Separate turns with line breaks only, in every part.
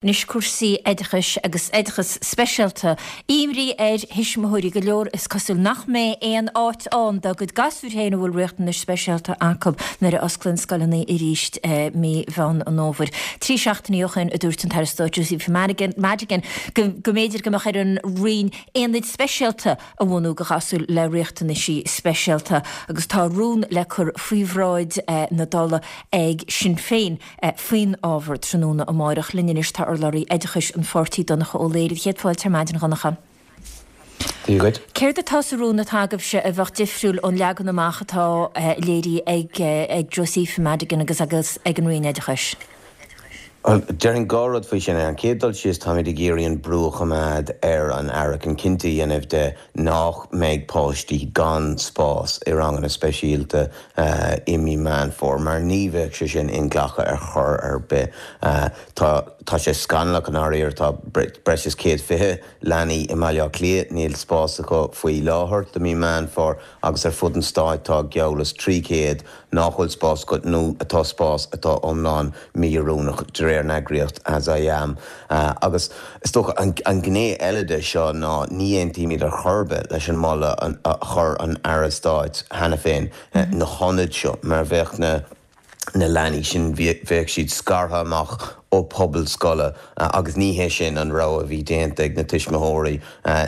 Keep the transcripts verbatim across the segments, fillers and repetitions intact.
Anois cúrsaí oideachais agus oideachas speisialta. Imní ar thuismitheoirí go leor is cosúil nach mbeidh aon áit ann dá gcuid gasúir féin a bhfuil riachtanais speisialta acu nuair a osclaíonn scoileanna arís mí Mheán an Fhómhair. Trí seachtainí ó shin a dúirt an tAire Stáit Joseph Madigan go mb'fhéidir go mbeadh ar an Roinn aonaid speisialta a bhunú do ghasúir le riachtanaisí speisialta agus tá rún le cur faoi bhráid na Dála ag Sinn Féin faoin ábhar tráthnóna amárach. Linn anois tá urlabhraí oideachais an pháirtí Donncha Ó Laoghaire. Céad fáilte ar maidin, a Dhonncha.
Dia dhuit.
Céard atá sa rún atá agaibhse a bheadh difriúil ón leagan amach atá léirithe ag ag Josepha Madigan agus agus ag an Roinn Oideachais?
Bhuel, déarfainn dhá rud faoi sin. Ar an chéad dul síos, táimid ag iarraidh an brú a choimeád ar an Aire chun cinnte a dhéanamh de nach mbeidh páistí gan spás i ranganna speisialta i mí Meán Fómhair, mar ní bheadh sé sin inghlactha ar chor ar bith. Tá tá sé scannalach i ndáiríre, tá breis is céad fiche leanaí i mBaile Átha Cliath, níl spás acu faoi láthair do mí Meán Fómhair agus ar fud an stáit tá geall is trí chéad nach bhfuil spás acu nó atá spás atá iomlán mí-oiriúnach de réir an eagraíocht As I Am. Agus is dócha an ghné eile de seo ná ní aontaímid ar chor ar bith leis an moladh a chuir an Aire Stáit cheana féin na hionaid seo mar bheadh na na leanaí sin bheadh siad scartha amach ó pobal scoile agus ní hé sin an rogha a bhí déanta ag na tuismitheoirí.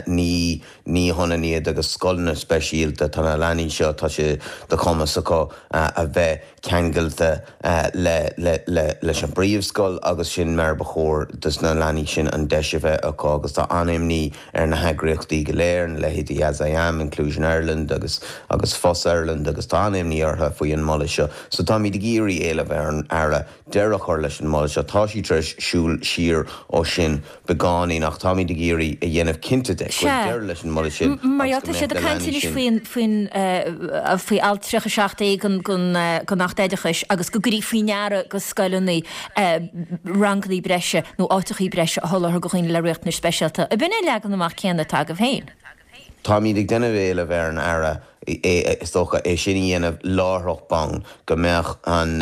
Ní ní hionann iad agus scoileanna speisialta, tá na leanaí seo tá sé de chumas acu a bheith ceangailte le le le leis an bpríomhscoil agus sin mar ba chóir dos na leanaí sin an deis a bheith acu agus tá an-imní ar na heagraíochtaí go léir, na leithéidí As I Am, Inclusion Ireland agus agus FOS Ireland agus tá an-imní orthu faoi an moladh seo. So táimid ag iarraidh éileamh ar an Aire deireadh a chur leis an moladh seo. Tá sí tar éis siúl siar ó sin beagáinín ach táimid ag iarraidh a dhéanamh cinnte de go bhfuil deireadh leis an moladh sin
Mar
agus go
tá siad
mbeadh
ag
na
caint
leanaí
anois
sin.
faoin faoin faoi alt tríocha seacht A den den den Acht Oideachais agus go gcuirfí faoi ndeara go scoileanna ranganna breise nó áiteachaí breise a sholáthar do dhaoine le riachtanais speisialta. Ab in é leagan amach céanna atá agaibh féin?
Táimid ag déanamh éileamh ar an Aire é is dócha é sin a dhéanamh láithreach bonn go mbeadh an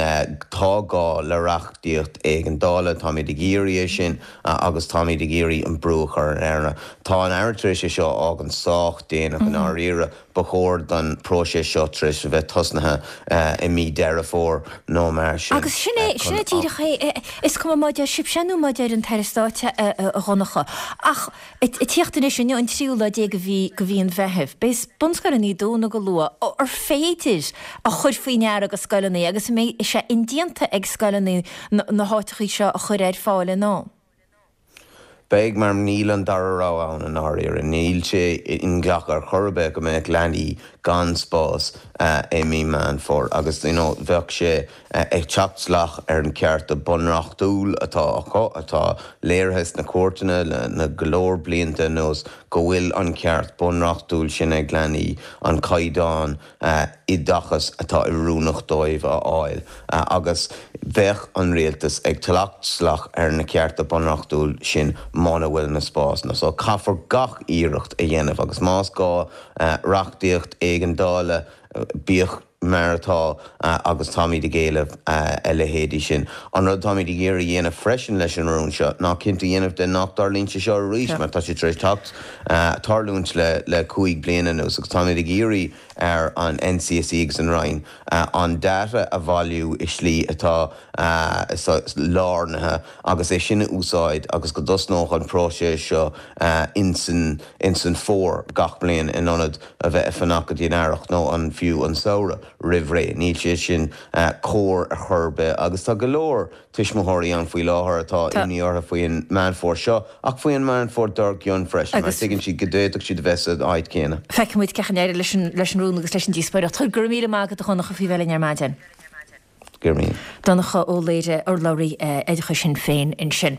tá gá le reachtaíocht éigeandála, táimid ag iarraidh é sin agus táimid ag iarraidh an brú a chur ar an Aire. Tá an Aire tar éis é seo a fhágaint sách déanach i ndáiríre, ba chóir don próiseas seo tar éis a bheith tosnaithe i mí Deireadh Fómhair nó mar sin.
Agus sin é sin é díreach é is cuma má deir sibhse nó má deir an tAire Stáit a Dhonncha. Ach ag tíocht anois inniu an tríú lá déag de mhí de mhí an Mheithimh, beidh bunscoileanna dúnadh go luath ar féidir a chur faoi ndeara go scoileanna agus an mbeidh sé indéanta ag scoileanna na háiteachaí seo a chur ar fáil in am.
Beidh mar níl an dara rogha ann i ndáiríre, níl sé inghlactha ar chor ar bith go mbeadh leanaí gan spás i mí Meán Fómhair agus you know, bheadh sé ag teacht salach ar an ceart bunreachtúil atá acu atá léirithe sna cúirteanna le na go leor blianta anuas go bhfuil an ceart bunreachtúil sin ag leanaí an caighdeán oideachas atá oiriúnach dóibh a fháil agus bheadh an rialtas ag teacht salach ar na cearta bunreachtúil sin muna bhfuil na spásanna. So caithfear gach iarracht a dhéanamh agus más gá reachtaíocht éigeandála bíodh mar atá agus táimid ag éileamh a leithéidí sin. An rud táimid ag iarraidh a dhéanamh freisin leis an rún seo ná cinnte a dhéanamh de nach dtarlaíonn sé seo arís mar tá sé tar éis teacht tarlúint le le cúig bliana anuas agus táimid ag iarraidh ar an NCSE agus an Roinn an data a bhailiú i slí atá lárnaithe agus é sin a úsáid agus go dtosnódh an próiseas seo insan insan fómhar gach bliain in ionad a bheith ag fanacht go dtí an earrach nó an fiú an samhradh roimh ré. Níl sé sin cóir ar chor ar bith agus tá go leor tuismitheoirí ann faoi láthair atá imní orthu faoin Meán Fómhair seo ach faoin Meán Fómhair dár gcionn freisin mar tuigeann siad go d'fhéadfadh siad a bheith san áit céanna.
Feicfimid cén chaoi a n-éireoidh leis an leis an rún agus leis an díospóireacht. Go raibh míle maith agat a Dhonncha faoi bheith linn ar maidin.
Go raibh míle.
Donncha Ó Laoghaire urlabhraí oideachais Shinn Féin ansin.